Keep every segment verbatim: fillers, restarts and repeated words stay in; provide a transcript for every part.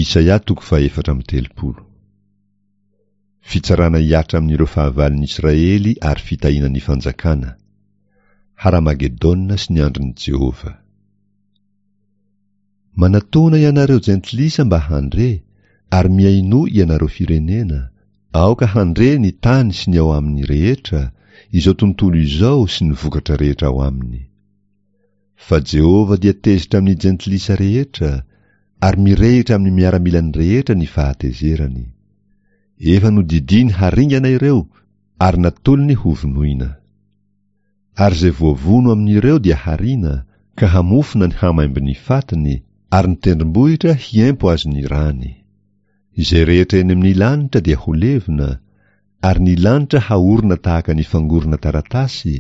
Isaia toko fahefatra amby telopolo. Fitsarana hihatra amin'ireo fahavalon'ny Israely ary fitahiana ny fanjakana. Haramagedona sy ny andron'i Jehovah. Manatona ianareo jentilisa mba handre, ary mihainoa ianareo firenena, aoka handre ny tany sy ny ao aminy rehetra, izao tontolo izao sy ny vokatra rehetra ao aminy. Fa Jehovah dia tezitra amin'ny jentilisa rehetra, ary mirehitra amin'ny miaramilany rehetra ny fahatezerany. Efa nodidiany haringana ireo, ary natolony hovonoina. Ary izay voavono amin'ireo dia hariana, ka hamofona ny hamaimbon'ny fatiny, ary ny tendrombohitra hiempo azy ny rany. Izay rehetra eny amin'ny lanitra dia ho levona, ary ny lanitra haorina tahaka ny fangorona taratasy,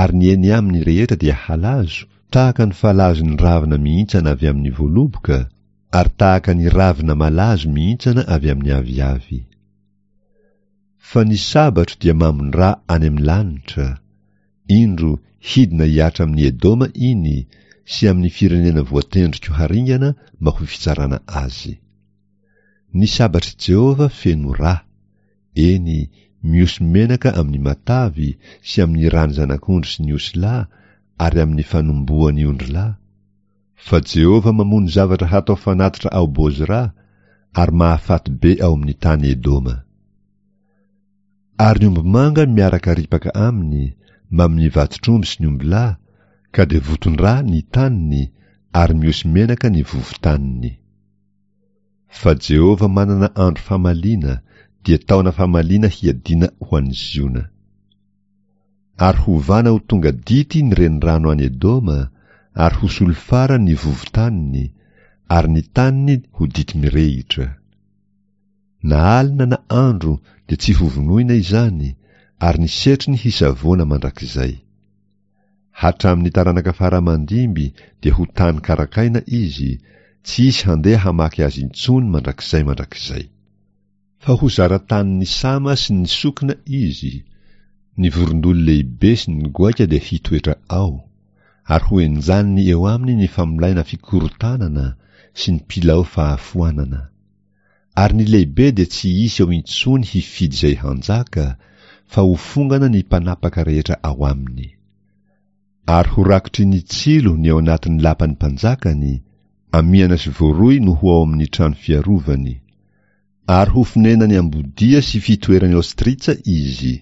ary ny eny aminy rehetra dia halazo, tahaka ny falazon'ny ravina mihintsana avy amin'ny voaloboka, ary tahaka ny ravina malazo mihintsana avy amin'ny aviavy. Fa ny sabatro dia mamon-dra any amin'ny lanitra, indro hidina hihatra amin'ny Edoma iny sy amin'ny firenena voatendriko haringana mba ho fitsarana azy. Ny sabatr'i Jehovah feno ra, eny, miosy menaka amin'ny matavy sy amin'ny rany zanak'ondry sy ny osilahy ary amin'ny fanombohan'ny ondrilahy. Fa Jehovah mamono zavatra hatao fanatitra ao Bozra ary mahafaty be ao amin'ny tany Edoma. Ary ny ombimanga miaraka ripaka aminy, mbamin'ny vatotr'omby sy ny ombilahy, ka dia voton-dra ny taniny ary miosy menaka ny vovotaniny. Fa Jehovah manana andro famaliana, dia taona famaliana hiadiana ho an'i Ziona. Ary hovana ho tonga dity ny renirano any Edoma, ary ho solifara ny vovotaniny, ary ny taniny ho dity mirehitra. Na alina na andro dia tsy hovonoina izany, ary ny setriny hisavoana mandrakizay. Hatramin'ny taranaka faramandimby dia ho tany karakaina izy, tsy hisy handeha hamaky azy intsony mandrakizay mandrakizay. Fa ho zara-tanin'ny sama sy ny sokina izy, ny vorondolo lehibe sy ny goaika dia hitoetra ao, ary ho enjaniny eo aminy ny famolaina fikorontanana sy ny pilao fahafoanana. Ary ny lehibe dia tsy hisy eo intsony hifidy izay hanjaka, fa ho fongana ny mpanapaka rehetra ao aminy. Ary ho rakotry ny tsilo ny ao anatin'ny lapan'ny mpanjakany, amiana sy voaroy no ho ao amin'ny trano fiarovany. Ary ho fonenany ambodia sy fitoerany ostritsa izy.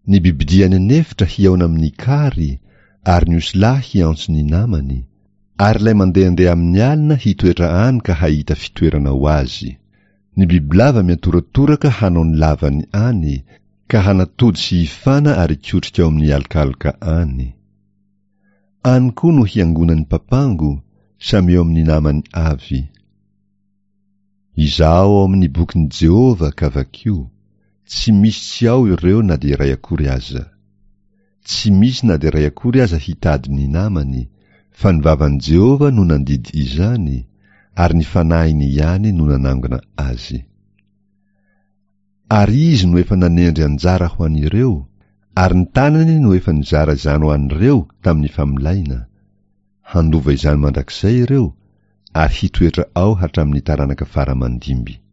Ny bibidia any an'efitra hihaona amin'ny kary, ary ny osilahy hiantso ny namany, ary ilay mandehandeha amin'ny alina hitoetra any ka hahita fitoerana ho azy. Ny bibilava miantoratoraka hanao ny lavany any, ka hanatody sy hifana ary hikotrika ao amin'ny alokaloka any. Any koa no hiangonan'ny papango, samy eo amin'ny namany avy. Izahao ao amin'ny bokin'i Jehovah ka vakio, tsy misy tsy ao ireo na dia iray akory aza. Tsy misy na dia iray akory aza hitady ny namany, fa ny vavan'i Jehovah no nandidy izany, ary ny fanahiny ihany no nanangona azy. Ary izy no efa nanendry anjara ho an'ireo, ary ny tanany no efa nizara izany ho an'ireo tamin'ny famolaina. Handova izany mandrakizay ireo, ary hitoetra ao hatramin'ny taranaka faramandimby.